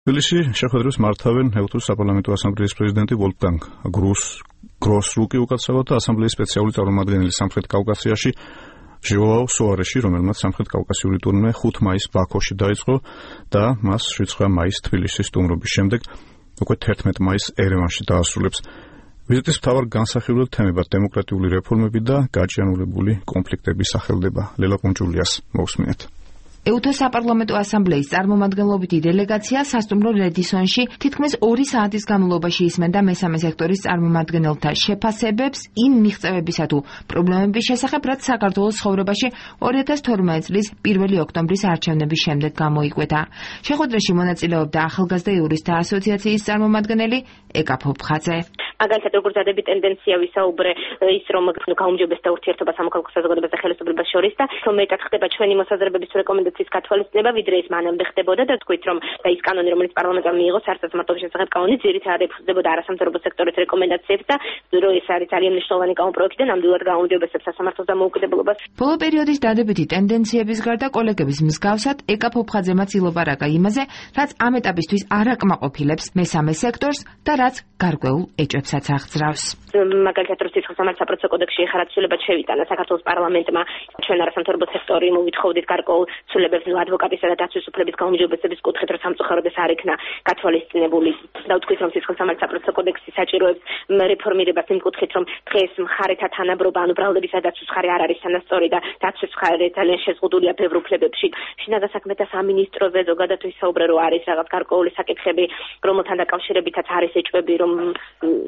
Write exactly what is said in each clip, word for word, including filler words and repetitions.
თბილისში შეხვედრებს მართავენ ეუთოს საპარლამენტო ასამბლეის პრეზიდენტი ვოლფგანგ გროსრუკი უკაცრავად და ასამბლეის სპეციალური წარმომადგენელი სამხრეთ კავკასიაში ჟოაო სოარეში, რომელმაც სამხრეთ კავკასიური ტურნე ხუთი მაისს ბაქოში დაიწყო და მას შვიდ მაისს თბილისის სტუმრობის შემდეგ უკვე თერთმეტი მაისს ერევანში დაასრულებს. ვიზიტის მთავარ განსახილველ თემებად დემოკრატიული რეფორმები და გაჭიანურებული კონფლიქტების სახელდება. ლელა კუნჭულიას მოусმინეთ. ეუთოს საპარლამენტო ასამბლეის წარმომადგენლობითი დელეგაცია სასტუმრო რედისონში თითქმის ორი საათის განმავლობაში ისმენდა მესამე სექტორის წარმომადგენელთა შეფასებებს იმ მიღწევებისა თუ პრობლემების შესახებ, რაც საქართველოს ცხოვრებაში ორი ათას თორმეტი წლის პირველი ოქტომბრის არჩევნების შემდეგ გამოიკვეთა. შეხვედრაში მონაწილეობდა ახალგაზრდა იურისტთა ასოციაციის წარმომადგენელი ეკა ფოფხაძე. მაგალითად, როგორც ადები ტენდენცია ვისაუბრე ის, რომ გაუმჯობესდა ურთიერთობა სამოქალაქო საზოგადოებას და ხელისუფლებას შორის და რომ მეტად ხდება ჩვენი მოსაზრებების რეკომენდაციის გათვალისწინება, ვიდრე ის მანამდე ხდებოდა და თქვით, რომ და ის კანონი, რომელიც პარლამენტმა მიიღო სარწმუნოების შესახებ კანონი, ძირითადად ეხსდებოდა არასამთავრობო სექტორის რეკომენდაციებს და რომ ეს არის ძალიან მნიშვნელოვანი კანონპროექტი და ნამდვილად გაუმჯობესებს სასამართლოს დამოუკიდებლობას. ბოლო პერიოდის დადებითი ტენდენციების გარდა კოლეგების მსგავსად ეკა ფოფხაძემაც ილაპარაკა იმაზე, რაც ამ ეტაპისთვის არ აკმაყოფილებს მესამე სექტორს და რაც გარკვეულ ეჭვებსაც აღძრავს. მაგალითად, რუსეთის სახელმწიფო საპროცესო კოდექსში ეხლა ცვლილებად შევიტანა საქართველოს პარლამენტმა ჩვენ არასამთავრობო სექტორი მოვითხოვდით გარკვეულ ცვლილებებს ადვოკატისა და დაცვის უფლების გაუმჯობესების კუთხით, რომ სამწუხაროდ ეს არ იქნა გათვალისწინებული. და ვთქვით, რომ რუსეთის სახელმწიფო საპროცესო კოდექსი საჭიროებს რეფორმირებას იმ კუთხით, რომ დღეს მხარეთა თანაბრობა, ანუ ბრალდებისა და დაცვის მხარე არ არის თანასწორი და დაცვის მხარე ძალიან შეზღუდულია ბევრ უფლებებში. შინაგან საქმეთა სამინისტროზე ზოგადად ვისაუბრე, რომ არის რაღაც გარკვეული საკითხები, რომელთან დაკავშირებითაც არის ეჭვები, რომ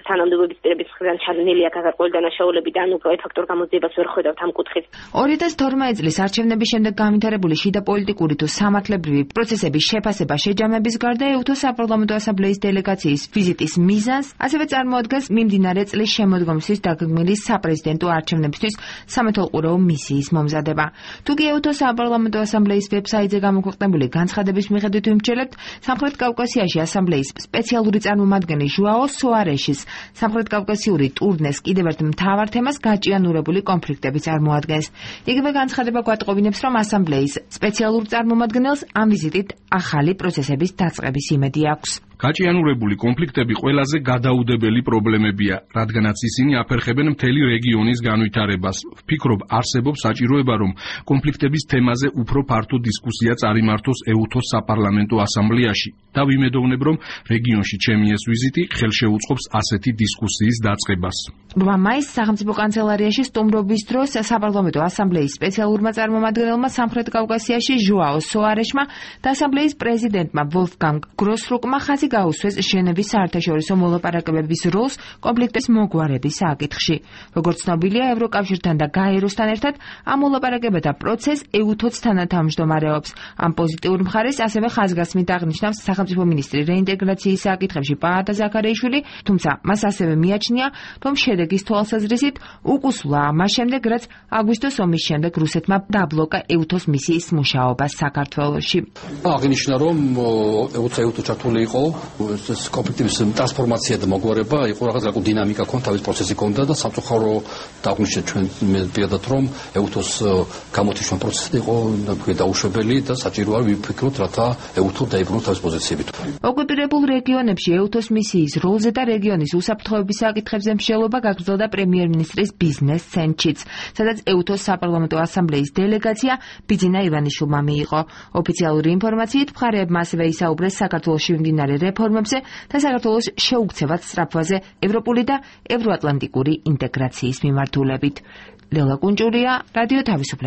თანამდებობის პირების მხრიდან ჩადენილია გარკვეული დანაშაულები და ანუ ეფექტურ გამოძიებას ვერ ხედავთ ამ კუთხით. ორი ათას თორმეტი წლის არჩევნების შემდეგ განვითარებული შიდა პოლიტიკური თუ სამართლებრივი პროცესების შეფასება შეჯამების გარდა ეუთოს საპარლამენტო ასამბლეის დელეგაციის ვიზიტის მიზანს ასევე წარმოადგენს მიმდინარე წლის შემოდგომისთვის დაგეგმილი საპრეზიდენტო არჩევნებისთვის სამეთვალყურეო მისიის მომზადება. თუკი ეუთოს საპარლამენტო ასამბლეის ვებსაიტზე გამოქვეყნებული განცხადების მიხედვით ვიმსჯელებთ, სამხრეთ კავკასიაში ასამბლეის სპეციალური წარმომადგენელი ჟოაო სოარეშის სამხრეთ კავკასიური ტურნეს კიდევ ერთ მთავარ თემას გაჭიანურებული კონფლიქტები წარმოადგენს. იგივე განცხადება გვატყობინებს, რომ ასამბლეის სპეციალურ წარმომადგენელს ამ ვიზიტით ახალი პროცესების დაწყების იმედი აქვს. გაჭიანურებული კონფლიქტები ყველაზე გადაუდებელი პრობლემებია, რადგანაც ისინი აფერხებენ მთელი რეგიონის განვითარებას. ვფიქრობ, არსებობს საჭიროება, რომ კონფლიქტების თემაზე უფრო ფართო დისკუსია წარიმართოს ეუთოს საპარლამენტო ასამბლეაში და ვიმედოვნებ, რომ რეგიონში ჩემი ეს ვიზიტი ხელშეუწყობს ასეთი დისკუსიის დაწყებას. რვა მაისს სახელმწიფო კანცელარიაში სტუმრობის დროს საპარლამენტო ასამბლეის სპეციალურმა წარმომადგენელმა სამხრეთ კავკასიაში ჟოაო სოარეშმა და ასამბლეის პრეზიდენტმა ვოლფგანგ გროსრუკმა ხაზი გაუსვეს ჟენევის საერთაშორისო მოლაპარაკებების როლს კონფლიქტის მოგვარების საკითხში. როგორც ცნობილია, ევროკავშირთან და გაეროსთან ერთად ამ მოლაპარაკებათა პროცესს ეუთოც თანათავმჯდომარეობს. ამ პოზიტიურ მხარეს ასევე ხაზგასმით აღნიშნავს სახელმწიფო მინისტრი რეინტეგრაციის საკითხებში პაატა ზაქარიაშვილი, თუმცა მას ასევე მიაჩნია, რომ შედეგის თვალსაზრისით უკუსვლა ამას შემდეგ, რაც აგვისტოს ომის შემდეგ რუსეთმა დაბლოკა ეუთოს მისიის მუშაობა საქართველოში. აღინიშნა, რომ ეუთო ჩართული იყო ეს კონფლიქტების ტრანსფორმაცია და მოგვარება, იყო რაღაც გარკვეული დინამიკა ქონდა, თავის პროცესი ქონდა და სამწუხარო დაგვიჩნდა ჩვენ პირადად, რომ ეუთოს გამოთიშვა პროცესი იყო დაუშვებელი და საჭირო არ ვიფიქროთ, რათა ეუთო დაიბრუნოს თავის პოზიციებით. ოკუპირებულ რეგიონებში ეუთოს მისიის როლზე და რეგიონის უსაფრთხოების საკითხებზე მსჯელობა გაგრძელდა პრემიერ-მინისტრის ბიზნეს ცენტრშიც, სადაც ეუთოს საპარლამენტო ასამბლეის დელეგაცია ბიძინა ივანიშვილმა მიიღო. ოფიციალური ინფორმაციით მხარეებმა ასევე ისაუბრეს საქართველოში მიმდინარე რეფორმებზე და საქართველოს შეუქცევად სწრაფვაზე ევროპული და ევროატლანტიკური ინტეგრაციის მიმართულებით. ლელა კუნჭულია, რადიო თავისუფლება.